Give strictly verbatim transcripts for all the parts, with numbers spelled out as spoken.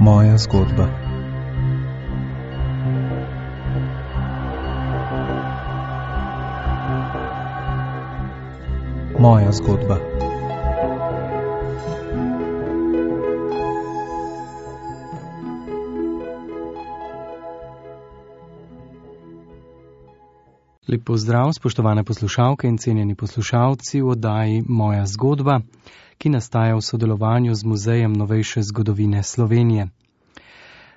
Moja zgodba. Moja zgodba. Lep pozdrav, spoštovane poslušalke in cenjeni poslušalci v oddaji Moja zgodba, ki nastaja v sodelovanju z Muzejem novejše zgodovine Slovenije.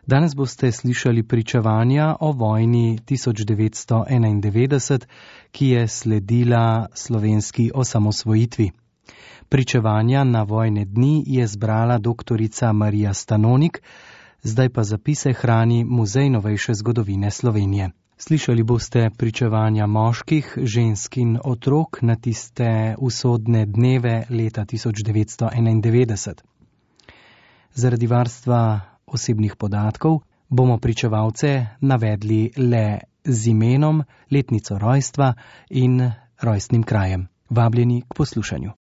Danes boste slišali pričevanja o vojni tisoč devetsto enaindevetdeset, ki je sledila slovenski osamosvojitvi. Pričevanja na vojne dni je zbrala doktorica Marija Stanonik, zdaj pa zapise hrani Muzej novejše zgodovine Slovenije. Slišali boste pričevanja moških, žensk in otrok na tiste usodne dneve leta tisoč devetsto enaindevetdeset. Zaradi varstva osebnih podatkov bomo pričevalce navedli le z imenom, letnico rojstva in rojstnim krajem. Vabljeni k poslušanju.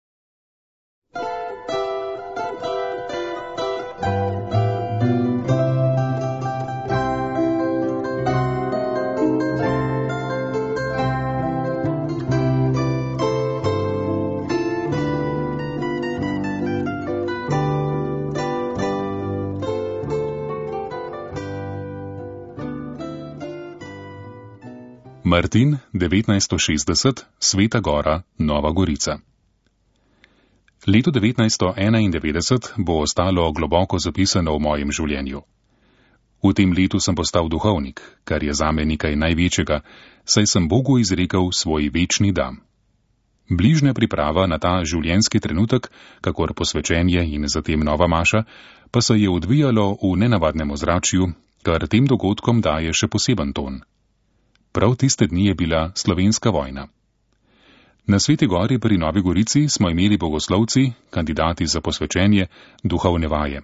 Martin, devetnajststo šestdeset, Sveta Gora, Nova Gorica. Leto devetnajststo enaindevetdeset bo ostalo globoko zapisano v mojem življenju. V tem letu sem postal duhovnik, kar je zame nekaj največjega, saj sem Bogu izrekel svoj večni da. Bližnja priprava na ta življenjski trenutek, kakor posvečenje in zatem nova maša, pa se je odvijalo v nenavadnem ozračju, kar tem dogodkom daje še poseben ton. Prav tiste dni je bila slovenska vojna. Na Sveti Gori pri Novi Gorici smo imeli bogoslovci, kandidati za posvečenje, duhovne vaje.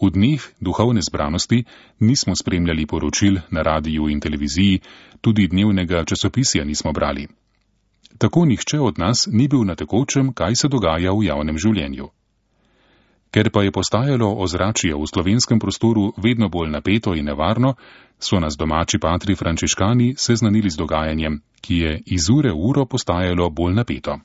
V dneh duhovne zbranosti nismo spremljali poročil na radiju in televiziji, tudi dnevnega časopisja nismo brali. Tako nihče od nas ni bil na tekočem, kaj se dogaja v javnem življenju. Ker pa je postajalo ozračje v slovenskem prostoru vedno bolj napeto in nevarno, so nas domači patri frančiškani seznanili z dogajanjem, ki je iz ure v uro postajalo bolj napeto.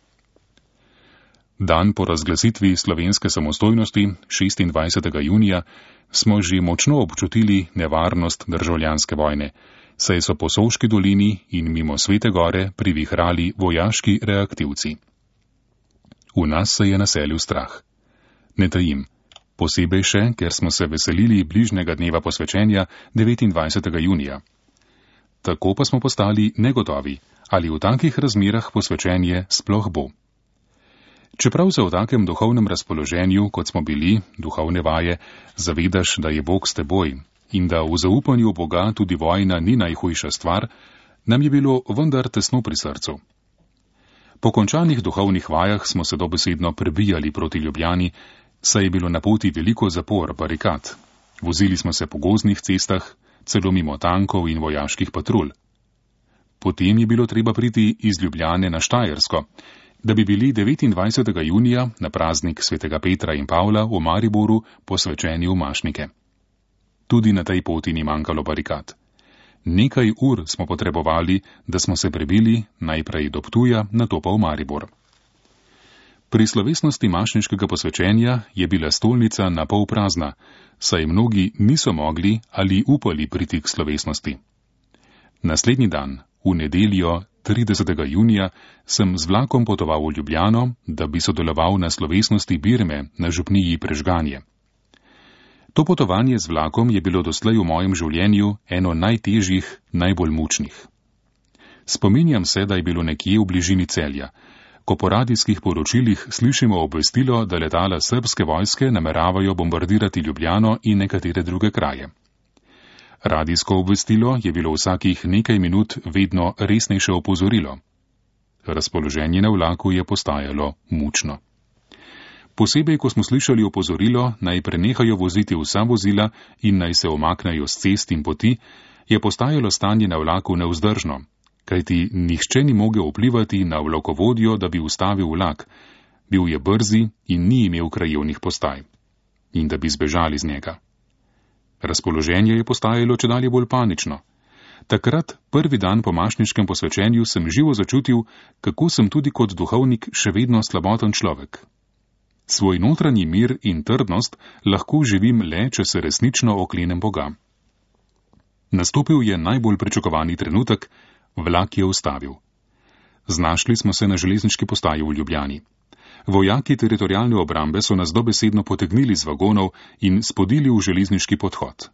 Dan po razglasitvi slovenske samostojnosti, šestindvajsetega junija, smo že močno občutili nevarnost državljanske vojne, saj so po Sovški dolini in mimo Svete Gore privihrali vojaški reaktivci. V nas se je naselil strah. Ne tajim, posebej še, ker smo se veselili bližnjega dneva posvečenja devetindvajsetega junija. Tako pa smo postali negotovi, ali v takih razmerah posvečenje sploh bo. Čeprav se v takem duhovnem razpoloženju, kot smo bili, duhovne vaje, zavedaš, da je Bog s teboj in da v zaupanju Boga tudi vojna ni najhujša stvar, nam je bilo vendar tesno pri srcu. Po končanih duhovnih vajah smo se dobesedno prebijali proti Ljubljani, saj je bilo na poti veliko zapor, barikat. Vozili smo se po gozdnih cestah, celo mimo tankov in vojaških patrulj. Potem je bilo treba priti iz Ljubljane na Štajersko, da bi bili devetindvajsetega junija na praznik svetega Petra in Pavla v Mariboru posvečeni v Mašnike. Tudi na tej poti ni manjkalo barikat. Nekaj ur smo potrebovali, da smo se prebili najprej do Ptuja, nato pa v Maribor. Pri slovesnosti mašniškega posvečenja je bila stolnica na pol prazna, saj mnogi niso mogli ali upali priti k slovesnosti. Naslednji dan, v nedeljo tridesetega junija, sem z vlakom potoval v Ljubljano, da bi sodeloval na slovesnosti Birme na župniji Prežganje. To potovanje z vlakom je bilo doslej v mojem življenju eno najtežjih, najbolj mučnih. Spominjam se, da je bilo nekje v bližini Celja, ko po radijskih poročilih slišimo obvestilo, da letala srbske vojske nameravajo bombardirati Ljubljano in nekatere druge kraje. Radijsko obvestilo je bilo vsakih nekaj minut vedno resnejše opozorilo. Razpoloženje na vlaku je postajalo mučno. Posebej, ko smo slišali opozorilo, naj prenehajo voziti vsa vozila in naj se omaknejo s cest in poti, je postajalo stanje na vlaku nevzdržno, kajti nihče ni mogel vplivati na vlakovodjo, da bi ustavil vlak, bil je brzi in ni imel krajevnih postaj. In da bi zbežali z njega. Razpoloženje je postajalo čedalje bolj panično. Takrat, prvi dan po mašniškem posvečenju, sem živo začutil, kako sem tudi kot duhovnik še vedno slaboten človek. Svoj notranji mir in trdnost lahko živim le, če se resnično oklenem Boga. Nastopil je najbolj pričakovani trenutek, vlak je ustavil. Znašli smo se na železniški postaji v Ljubljani. Vojaki teritorialne obrambe so nas dobesedno potegnili z vagonov in spodili v železniški podhod.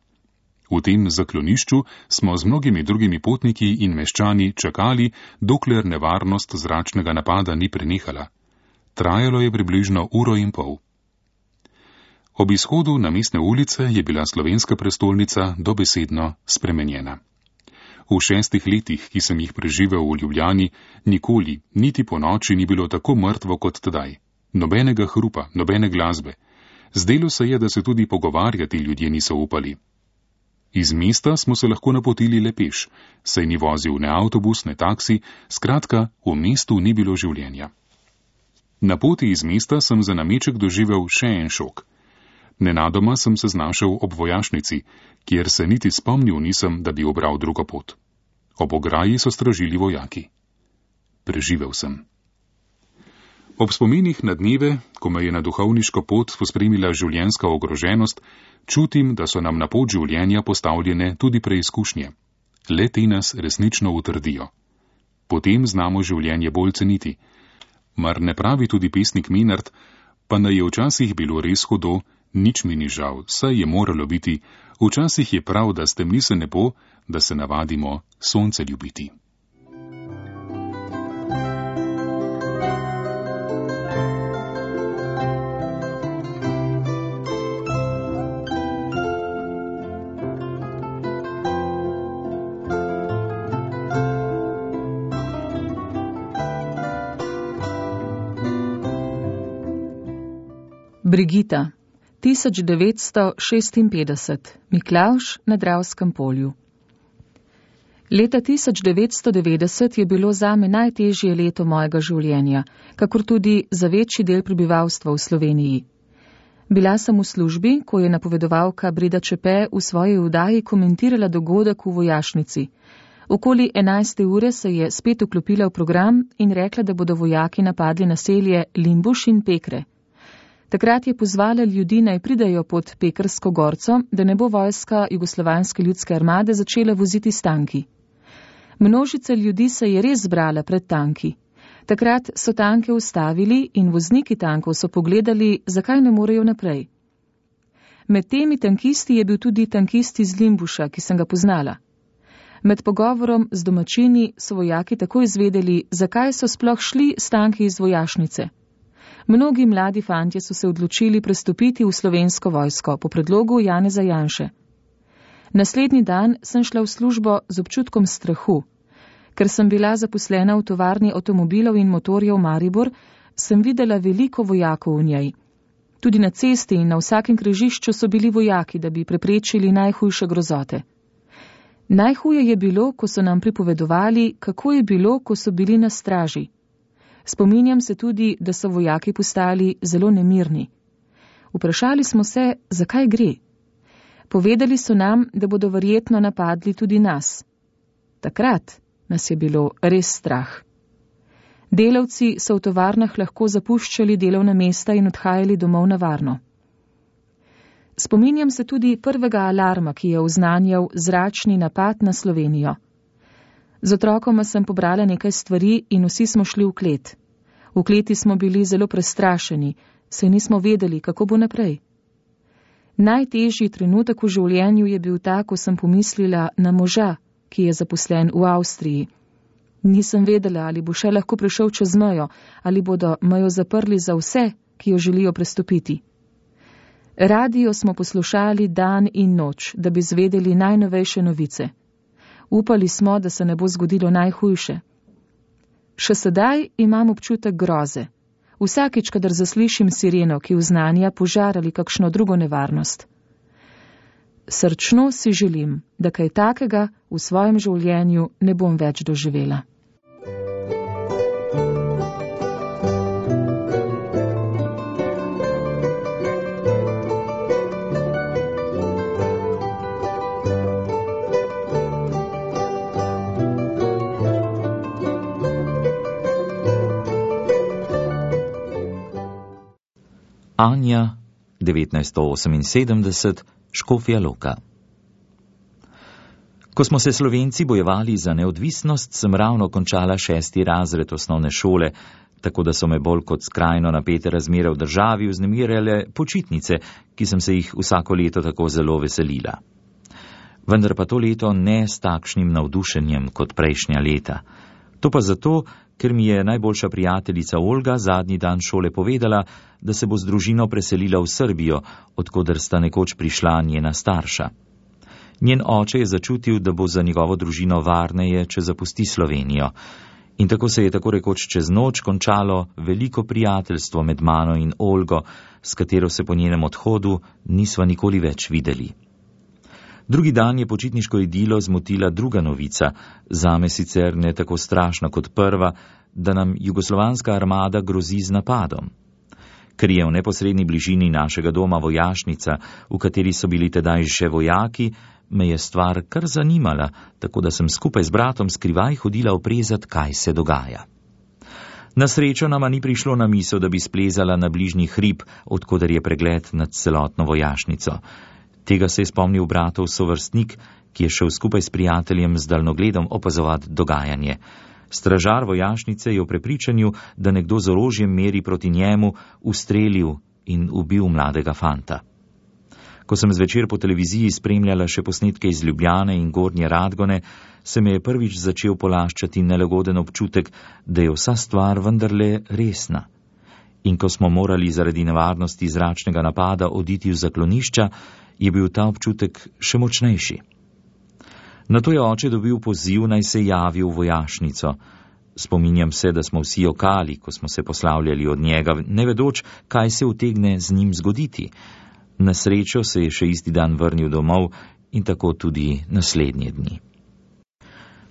V tem zaklonišču smo z mnogimi drugimi potniki in meščani čakali, dokler nevarnost zračnega napada ni prenehala. Trajalo je približno uro in pol. Ob izhodu na mestne ulice je bila slovenska prestolnica dobesedno spremenjena. V šestih letih, ki sem jih preživel v Ljubljani, nikoli, niti po noči ni bilo tako mrtvo kot tedaj. Nobenega hrupa, nobene glasbe. Zdelo se je, da se tudi pogovarjati ljudje niso upali. Iz mesta smo se lahko napotili le peš, saj ni vozil ne avtobus, ne taksi, skratka, v mestu ni bilo življenja. Na poti iz mesta sem za nameček doživel še en šok. Nenadoma sem se znašel ob vojašnici, kjer se niti spomnil nisem, da bi obral drugo pot. Ob ograji so stražili vojaki. Preživel sem. Ob spominih na dneve, ko me je na duhovniško pot pospremila življenjska ogroženost, čutim, da so nam na pot življenja postavljene tudi preizkušnje. Le te nas resnično utrdijo. Potem znamo življenje bolj ceniti. Mar ne pravi tudi pesnik Menard, pa naj je včasih bilo res hudo, nič mi ni žal, saj je moralo biti, včasih je prav, da stemni se nebo, da se navadimo sonce ljubiti. Brigita, tisoč devetsto šestinpetdeset, Miklavž na Dravskem polju. Leta tisoč devetsto devetdeset je bilo zame najtežje leto mojega življenja, kakor tudi za večji del prebivalstva v Sloveniji. Bila sem v službi, ko je napovedovalka Breda Čepe v svoji oddaji komentirala dogodek v vojašnici. Okoli enajste ure se je spet vklopila v program in rekla, da bodo vojaki napadli naselje Limbuš in Pekre. Takrat je pozvala ljudi, naj pridajo pod Pekrsko gorco, da ne bo vojska Jugoslovanske ljudske armade začela voziti s tanki. Množica ljudi se je res zbrala pred tanki. Takrat so tanke ustavili in vozniki tankov so pogledali, zakaj ne morejo naprej. Med temi tankisti je bil tudi tankist iz Limbuša, ki sem ga poznala. Med pogovorom z domačini so vojaki takoj izvedeli, zakaj so sploh šli s tanki iz vojašnice. Mnogi mladi fantje so se odločili prestopiti v slovensko vojsko po predlogu Janeza Janše. Naslednji dan sem šla v službo z občutkom strahu. Ker sem bila zaposlena v tovarni avtomobilov in motorjev Maribor, sem videla veliko vojakov v njej. Tudi na cesti in na vsakem križišču so bili vojaki, da bi preprečili najhujše grozote. Najhuje je bilo, ko so nam pripovedovali, kako je bilo, ko so bili na straži. Spominjam se tudi, da so vojaki postali zelo nemirni. Vprašali smo se, zakaj gre. Povedali so nam, da bodo verjetno napadli tudi nas. Takrat nas je bilo res strah. Delavci so v tovarnah lahko zapuščali delovna mesta in odhajali domov na varno. Spominjam se tudi prvega alarma, ki je oznanjal zračni napad na Slovenijo. Z otrokoma sem pobrala nekaj stvari in vsi smo šli v klet. V kleti smo bili zelo prestrašeni, saj nismo vedeli, kako bo naprej. Najtežji trenutek v življenju je bil ta, ko sem pomislila na moža, ki je zaposlen v Avstriji. Nisem vedela, ali bo še lahko prišel čez mejo, ali bodo mejo zaprli za vse, ki jo želijo prestopiti. Radio smo poslušali dan in noč, da bi zvedeli najnovejše novice. Upali smo, da se ne bo zgodilo najhujše. Še sedaj imam občutek groze. Vsakič, kadar zaslišim sireno, ki oznanja požar ali kakšno drugo nevarnost. Srčno si želim, da kaj takega v svojem življenju ne bom več doživela. Anja, devetnajststo oseminsedemdeset, Škofja Loka. Ko smo se Slovenci bojevali za neodvisnost, sem ravno končala šesti razred osnovne šole, tako da so me bolj kot skrajno napete razmere v državi vznemirjale počitnice, ki sem se jih vsako leto tako zelo veselila. Vendar pa to leto ne s takšnim navdušenjem kot prejšnja leta. To pa zato, ker mi je najboljša prijateljica Olga zadnji dan šole povedala, da se bo z družino preselila v Srbijo, odkoder sta nekoč prišla njena starša. Njen oče je začutil, da bo za njegovo družino varneje, če zapusti Slovenijo. In tako se je tako rekoč čez noč končalo veliko prijateljstvo med mano in Olgo, s katero se po njenem odhodu nisva nikoli več videli. Drugi dan je počitniško idilo zmotila druga novica, zame sicer ne tako strašna kot prva, da nam jugoslovanska armada grozi z napadom. Ker je v neposredni bližini našega doma vojašnica, v kateri so bili tedaj še vojaki, me je stvar kar zanimala, tako da sem skupaj z bratom skrivaj hodila oprezat, kaj se dogaja. Na srečo nama ni prišlo na misel, da bi splezala na bližnji hrib, odkoder je pregled nad celotno vojašnico. Tega se je spomnil bratov sovrstnik, ki je šel skupaj s prijateljem z daljnogledom opazovati dogajanje. Stražar vojašnice je v prepričanju, da nekdo z orožjem meri proti njemu, ustrelil in ubil mladega fanta. Ko sem zvečer po televiziji spremljala še posnetke iz Ljubljane in Gornje Radgone, se me je prvič začel polaščati nelagoden občutek, da je vsa stvar vendarle resna. In ko smo morali zaradi nevarnosti zračnega napada oditi v zaklonišča, je bil ta občutek še močnejši. Nato je oče dobil poziv, naj se javi v vojašnico. Spominjam se, da smo vsi jokali, ko smo se poslavljali od njega, ne vedoč, kaj se utegne z njim zgoditi. Na srečo se je še isti dan vrnil domov in tako tudi naslednje dni.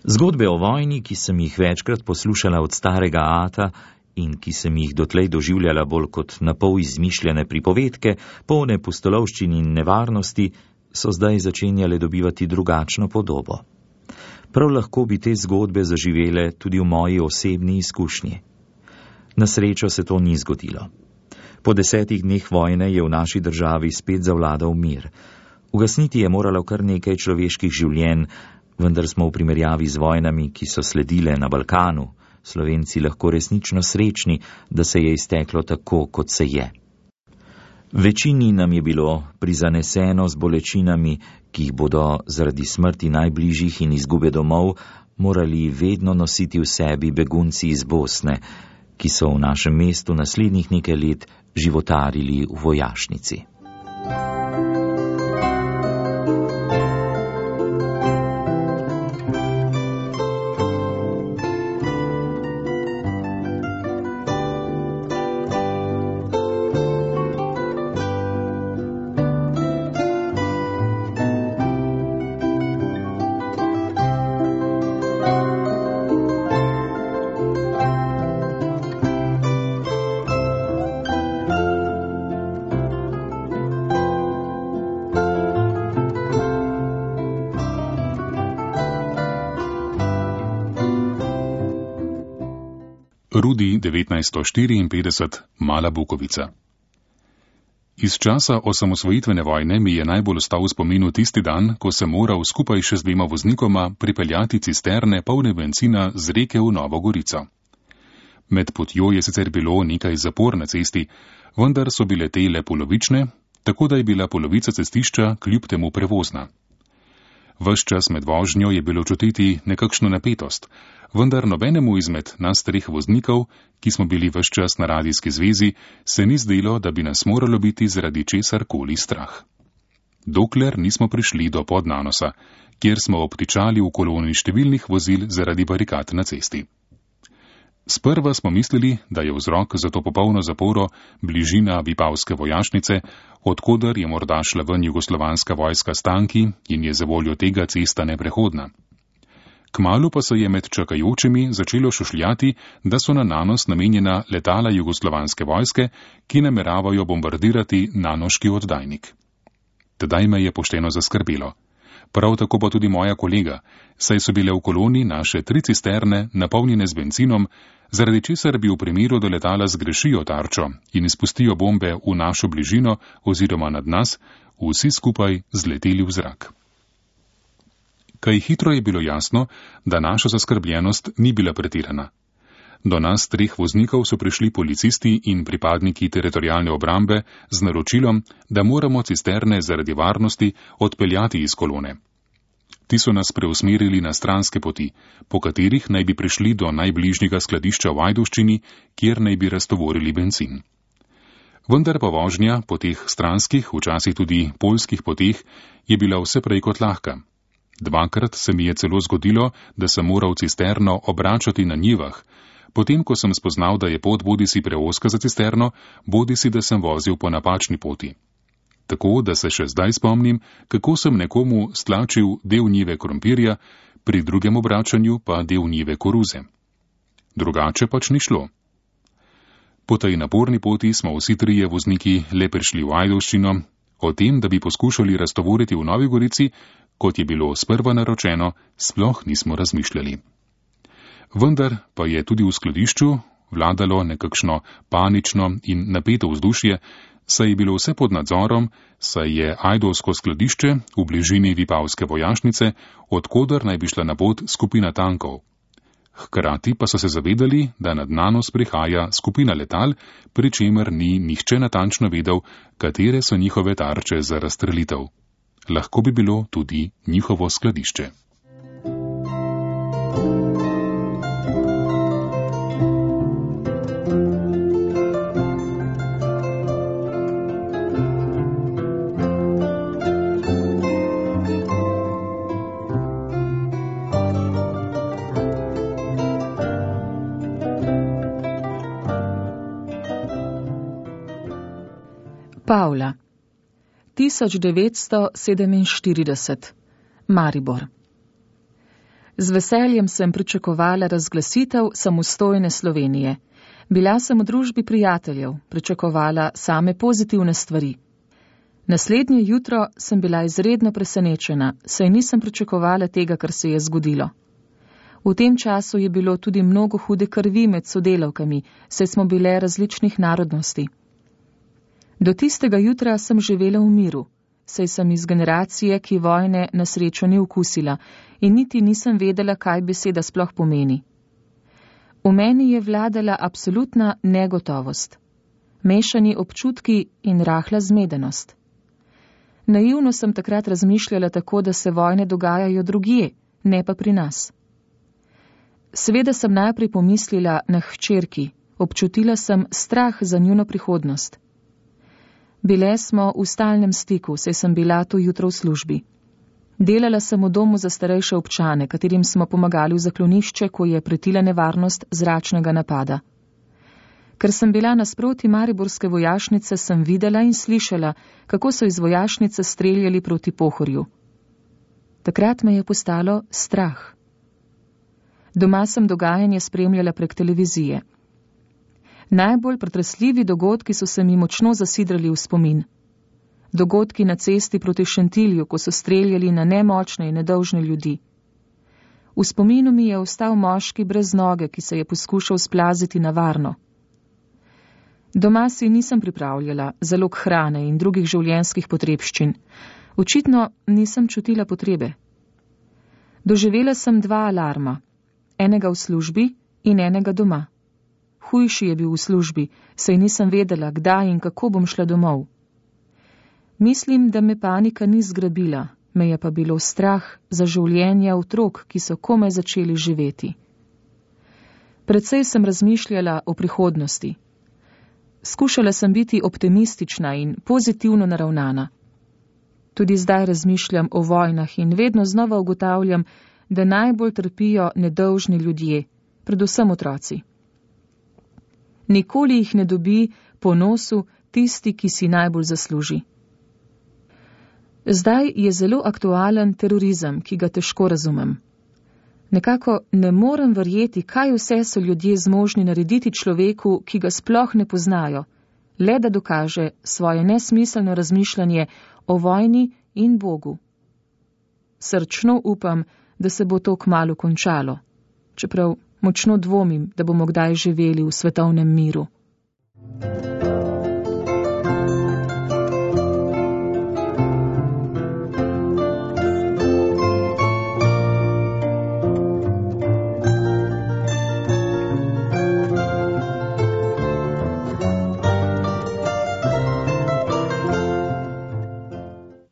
Zgodbe o vojni, ki sem jih večkrat poslušala od starega ata in ki sem jih dotlej doživljala bolj kot napol izmišljene pripovedke, polne pustolovščin in nevarnosti, so zdaj začenjale dobivati drugačno podobo. Prav lahko bi te zgodbe zaživele tudi v moji osebni izkušnji. Na srečo se to ni zgodilo. Po desetih dneh vojne je v naši državi spet zavladal mir. Ugasniti je moralo kar nekaj človeških življenj, vendar smo v primerjavi z vojnami, ki so sledile na Balkanu, Slovenci lahko resnično srečni, da se je izteklo tako, kot se je. Večini nam je bilo prizaneseno z bolečinami, ki jih bodo zaradi smrti najbližjih in izgube domov morali vedno nositi v sebi begunci iz Bosne, ki so v našem mestu naslednjih nekaj let životarili v vojašnici. Rudi devetnajststo štiriinpetdeset, Mala Bukovica. Iz časa osamosvojitvene vojne mi je najbolj ostal v spominu tisti dan, ko sem moral skupaj še z dvema voznikoma pripeljati cisterne polne bencina z reke v Novo Gorico. Med potjo je sicer bilo nekaj zapor na cesti, vendar so bile te le polovične, tako da je bila polovica cestišča kljub temu prevozna. Ves čas med vožnjo je bilo čutiti nekakšno napetost, vendar nobenemu izmed nas treh voznikov, ki smo bili ves čas na radijski zvezi, se ni zdelo, da bi nas moralo biti zaradi česar koli strah. Dokler nismo prišli do Podnanosa, kjer smo obtičali v koloni številnih vozil zaradi barikad na cesti. Sprva smo mislili, da je vzrok za to popolno zaporo bližina Vipavske vojašnice, odkoder je morda šla ven jugoslovanska vojska s tanki in je za voljo tega cesta neprehodna. Kmalu pa se je med čakajočimi začelo šušljati, da so na nanos namenjena letala jugoslovanske vojske, ki nameravajo bombardirati nanoški oddajnik. Tedaj me je pošteno zaskrbelo. Prav tako pa tudi moja kolega, saj so bile v koloni naše tri cisterne napolnjene z benzinom, zaradi česar bi v primeru, da letala zgrešijo tarčo in izpustijo bombe v našo bližino oziroma nad nas, vsi skupaj zleteli v zrak. Kaj hitro je bilo jasno, da naša zaskrbljenost ni bila pretirana. Do nas treh voznikov so prišli policisti in pripadniki teritorialne obrambe z naročilom, da moramo cisterne zaradi varnosti odpeljati iz kolone. Ti so nas preusmerili na stranske poti, po katerih naj bi prišli do najbližjega skladišča v Ajdovščini, kjer naj bi raztovorili bencin. Vendar pa vožnja po teh stranskih, včasih tudi poljskih poteh, je bila vse prej kot lahka. Dvakrat se mi je celo zgodilo, da sem moral cisterno obračati na njivah, potem ko sem spoznal, da je pot bodisi preozka za cisterno, bodisi da sem vozil po napačni poti. Tako, da se še zdaj spomnim, kako sem nekomu stlačil del njive krompirja, pri drugem obračanju pa del njive koruze. Drugače pač ni šlo. Po tej naporni poti smo vsi trije vozniki le prišli v Ajdovščino, o tem, da bi poskušali raztovoriti v Novi Gorici, kot je bilo sprva naročeno, sploh nismo razmišljali. Vendar pa je tudi v skladišču vladalo nekakšno panično in napeto vzdušje, saj je bilo vse pod nadzorom, saj je ajdovsko skladišče v bližini vipavske vojašnice, odkoder naj bi šla na pot skupina tankov. Hkrati pa so se zavedali, da nad Nanos prihaja skupina letal, pri čemer ni nihče natančno vedel, katere so njihove tarče za razstrelitev. Lahko bi bilo tudi njihovo skladišče. Pavla, tisoč devetsto sedeminštirideset, Maribor. Z veseljem sem pričakovala razglasitev samostojne Slovenije. Bila sem v družbi prijateljev, pričakovala same pozitivne stvari. Naslednje jutro sem bila izredno presenečena, saj nisem pričakovala tega, kar se je zgodilo. V tem času je bilo tudi mnogo hude krvi med sodelavkami, saj smo bile različnih narodnosti. Do tistega jutra sem živela v miru, saj sem iz generacije, ki vojne na srečo ni okusila in niti nisem vedela, kaj beseda sploh pomeni. V meni je vladala absolutna negotovost, mešani občutki in rahla zmedenost. Naivno sem takrat razmišljala tako, da se vojne dogajajo drugje, ne pa pri nas. Seveda sem najprej pomislila na hčerki, občutila sem strah za njuno prihodnost. Bile smo v stalnem stiku, saj sem bila to jutro v službi. Delala sem v domu za starejše občane, katerim smo pomagali v zaklonišče, ko je pretila nevarnost zračnega napada. Ker sem bila nasproti mariborske vojašnice, sem videla in slišala, kako so iz vojašnice streljali proti Pohorju. Takrat me je postalo strah. Doma sem dogajanje spremljala prek televizije. Najbolj pretresljivi dogodki so se mi močno zasidrali v spomin. Dogodki na cesti proti Šentilju, ko so streljali na nemočne in nedolžne ljudi. V spominu mi je ostal moški brez noge, ki se je poskušal splaziti na varno. Doma si nisem pripravljala zalog hrane in drugih življenjskih potrebščin. Očitno nisem čutila potrebe. Doživela sem dva alarma, enega v službi in enega doma. Hujši je bil v službi, saj nisem vedela, kdaj in kako bom šla domov. Mislim, da me panika ni zgrabila, me je pa bilo strah za življenje otrok, ki so komaj začeli živeti. Predvsej sem razmišljala o prihodnosti. Skušala sem biti optimistična in pozitivno naravnana. Tudi zdaj razmišljam o vojnah in vedno znova ugotavljam, da najbolj trpijo nedolžni ljudje, predvsem otroci. Nikoli jih ne dobi po nosu tisti, ki si najbolj zasluži. Zdaj je zelo aktualen terorizem, ki ga težko razumem. Nekako ne morem verjeti, kaj vse so ljudje zmožni narediti človeku, ki ga sploh ne poznajo, le da dokaže svoje nesmiselno razmišljanje o vojni in Bogu. srčno upam, da se bo to kmalu končalo, čeprav močno dvomim, da bomo kdaj živeli v svetovnem miru.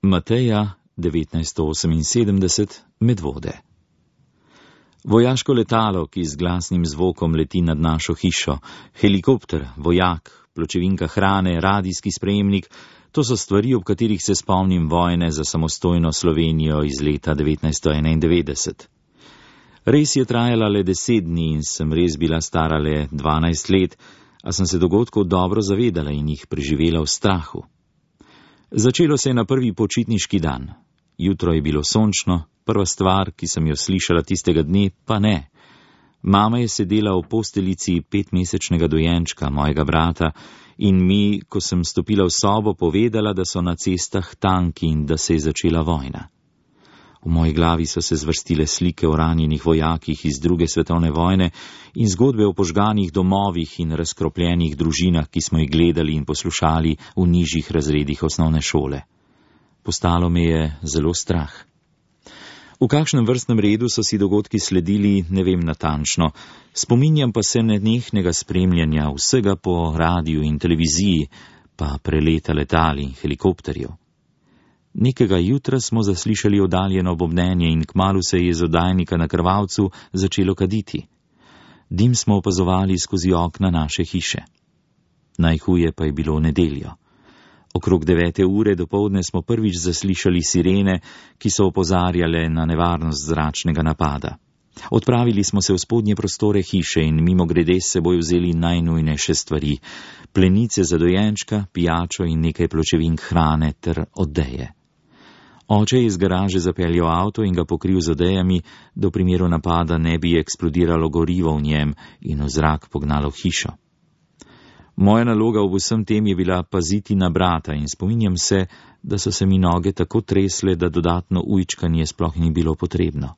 Mateja devetnajststo oseminsedemdeset, Medvode. Vojaško letalo, ki z glasnim zvokom leti nad našo hišo, helikopter, vojak, pločevinka hrane, radijski sprejemnik, to so stvari, ob katerih se spomnim vojne za samostojno Slovenijo iz leta devetnajststo enaindevetdeset. Res je trajala le deset dni in sem res bila stara le dvanajst let, a sem se dogodkov dobro zavedala in jih preživela v strahu. Začelo se je na prvi počitniški dan. Jutro je bilo sončno, prva stvar, ki sem jo slišala tistega dne, pa ne. Mama je sedela v posteljici petmesečnega dojenčka, mojega brata, in mi, ko sem stopila v sobo, povedala, da so na cestah tanki in da se je začela vojna. V moji glavi so se zvrstile slike o ranjenih vojakih iz druge svetovne vojne in zgodbe o požganih domovih in razkropljenih družinah, ki smo jih gledali in poslušali v nižjih razredih osnovne šole. Postalo me je zelo strah. V kakšnem vrstnem redu so si dogodki sledili, ne vem natančno, spominjam pa se nenehnega spremljanja vsega po radiju in televiziji, pa preleta letal in helikopterjev. Nekega jutra smo zaslišali oddaljeno bobnenje in kmalu se je iz oddajnika na krvavcu začelo kaditi. Dim smo opazovali skozi okna naše hiše. Najhuje pa je bilo v nedeljo. Okrog devete ure dopoldne smo prvič zaslišali sirene, ki so opozarjale na nevarnost zračnega napada. Odpravili smo se v spodnje prostore hiše in mimogrede s seboj vzeli najnujnejše stvari, plenice za dojenčka, pijačo in nekaj pločevink hrane ter odeje. Oče je iz garaže zapeljal avto in ga pokril z odejami, da v primeru napada ne bi eksplodiralo gorivo v njem in v zrak pognalo hišo. Moja naloga v vsem tem je bila paziti na brata in spominjam se, da so se mi noge tako tresle, da dodatno ujčkanje sploh ni bilo potrebno.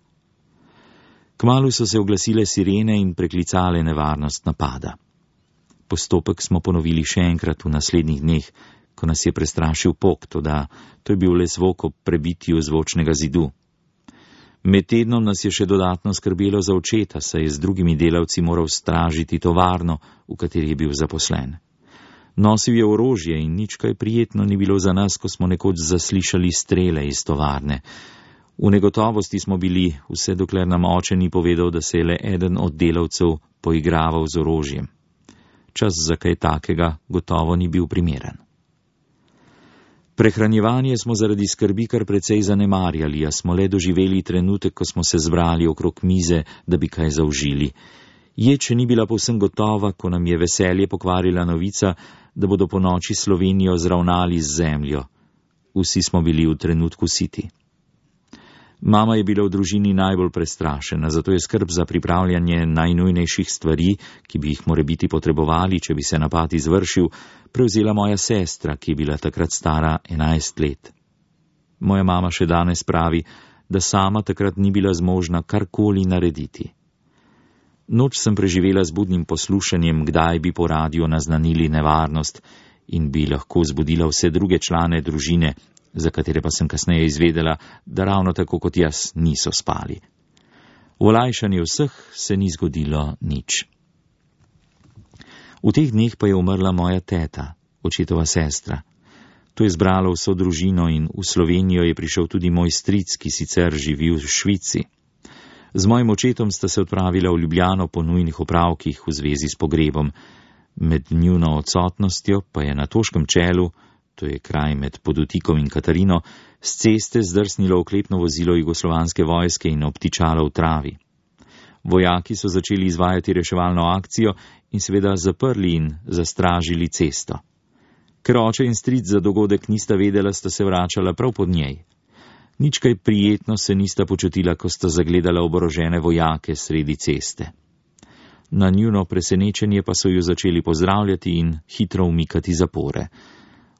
Kmalu so se oglasile sirene in preklicale nevarnost napada. Postopek smo ponovili še enkrat v naslednjih dneh, ko nas je prestrašil pok, toda to je bil le zvok ob prebitju zvočnega zidu. Med tednom nas je še dodatno skrbelo za očeta, saj je z drugimi delavci moral stražiti tovarno, v kateri je bil zaposlen. Nosil je orožje in nič kaj prijetno ni bilo za nas, ko smo nekoč zaslišali strele iz tovarne. V negotovosti smo bili, vse dokler nam oče ni povedal, da se je le eden od delavcev poigraval z orožjem. Čas za kaj takega gotovo ni bil primeren. Prehranjevanje smo zaradi skrbi kar precej zanemarjali, a smo le doživeli trenutek, ko smo se zbrali okrog mize, da bi kaj zaužili. Jed še ni bila povsem gotova, ko nam je veselje pokvarila novica, da bodo po noči Slovenijo zravnali z zemljo. Vsi smo bili v trenutku siti. Mama je bila v družini najbolj prestrašena, zato je skrb za pripravljanje najnujnejših stvari, ki bi jih morebiti potrebovali, če bi se napad izvršil, prevzela moja sestra, ki je bila takrat stara enajst let. Moja mama še danes pravi, da sama takrat ni bila zmožna karkoli narediti. Noč sem preživela z budnim poslušanjem, kdaj bi po radiju naznanili nevarnost in bi lahko zbudila vse druge člane družine, za katere pa sem kasneje izvedela, da ravno tako kot jaz niso spali. V olajšanje vseh se ni zgodilo nič. V teh dneh pa je umrla moja teta, očetova sestra. To je zbralo vso družino in v Slovenijo je prišel tudi moj stric, ki sicer živi v Švici. Z mojim očetom sta se odpravila v Ljubljano po nujnih opravkih v zvezi s pogrebom. Med njuno odsotnostjo pa je na Toškem čelu, to je kraj med Podutikom in Katarino, z ceste zdrsnilo oklepno vozilo jugoslovanske vojske in obtičalo v travi. Vojaki so začeli izvajati reševalno akcijo in seveda zaprli in zastražili cesto. Ker oče in stric za dogodek nista vedela, sta se vračala prav pod njej. Nič kaj prijetno se nista počutila, ko sta zagledala oborožene vojake sredi ceste. Na njuno presenečenje pa so ju začeli pozdravljati in hitro umikati zapore.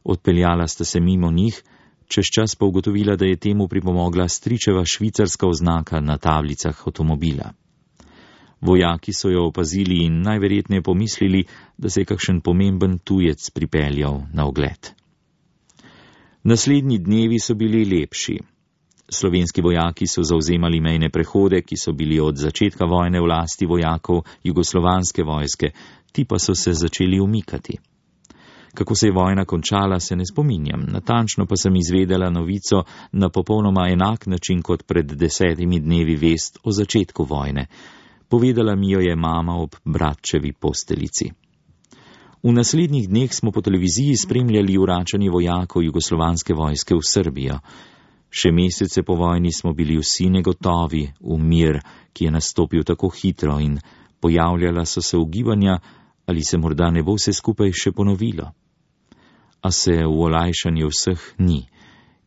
Odpeljala sta se mimo njih, čez čas pa ugotovila, da je temu pripomogla stričeva švicarska oznaka na tablicah avtomobila. Vojaki so jo opazili in najverjetneje pomislili, da se je kakšen pomemben tujec pripeljal na ogled. Naslednji dnevi so bili lepši. Slovenski vojaki so zavzemali mejne prehode, ki so bili od začetka vojne v lasti vojakov jugoslovanske vojske, ti pa so se začeli umikati. Kako se je vojna končala, se ne spominjam, natančno pa sem izvedela novico na popolnoma enak način kot pred desetimi dnevi vest o začetku vojne. Povedala mi jo je mama ob bratčevi posteljici. V naslednjih dneh smo po televiziji spremljali vračanje vojakov jugoslovanske vojske v Srbijo. Še mesece po vojni smo bili vsi negotovi v mir, ki je nastopil tako hitro, in pojavljala so se ugibanja, ali se morda ne bo vse skupaj še ponovilo. A se v olajšanje vseh ni.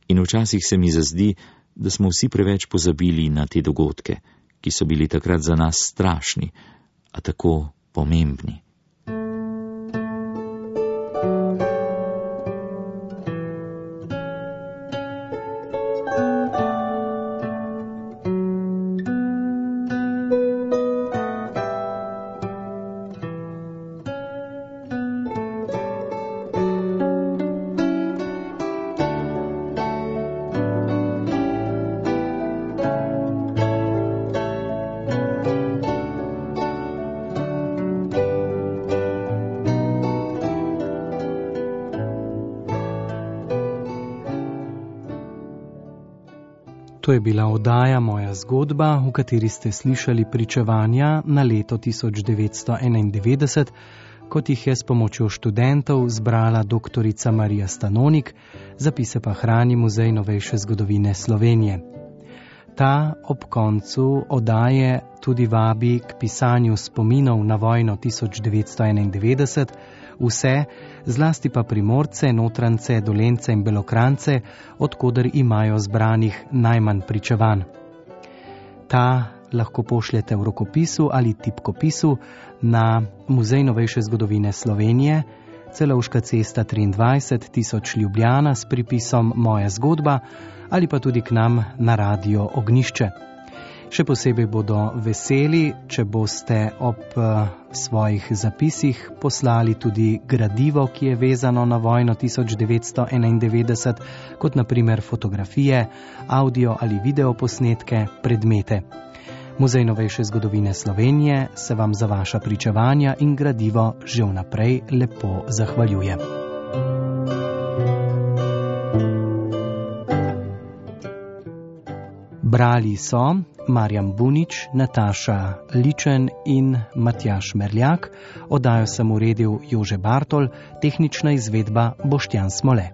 In včasih se mi zazdi, da smo vsi preveč pozabili na te dogodke, ki so bili takrat za nas strašni, a tako pomembni. To je bila oddaja Moja zgodba, v kateri ste slišali pričevanja na leto tisoč devetsto enaindevetdeset, kot jih je s pomočjo študentov zbrala doktorica Marija Stanonik, zapise pa hrani Muzej novejše zgodovine Slovenije. Ta ob koncu oddaje tudi vabi k pisanju spominov na vojno tisoč devetsto enaindevetdeset, vse, zlasti pa Primorce, Notrance, Dolence in Belokrantce, odkoder imajo zbranih najmanj pričevanj. Ta lahko pošljete v rokopisu ali tipkopisu na Muzej novejše zgodovine Slovenije, Celovška cesta triindvajset tisoč Ljubljana s pripisom Moja zgodba, ali pa tudi k nam na Radio Ognjišče. Še posebej bodo veseli, če boste ob svojih zapisih poslali tudi gradivo, ki je vezano na vojno tisoč devetsto enaindevetdeset, kot na primer fotografije, audio ali video posnetke, predmete. Muzej novejše zgodovine Slovenije se vam za vaša pričevanja in gradivo že vnaprej lepo zahvaljuje. Brali so Marjan Bunič, Nataša Ličen in Matjaž Merljak, oddajo sem uredil Jože Bartol, tehnična izvedba Boštjan Smole.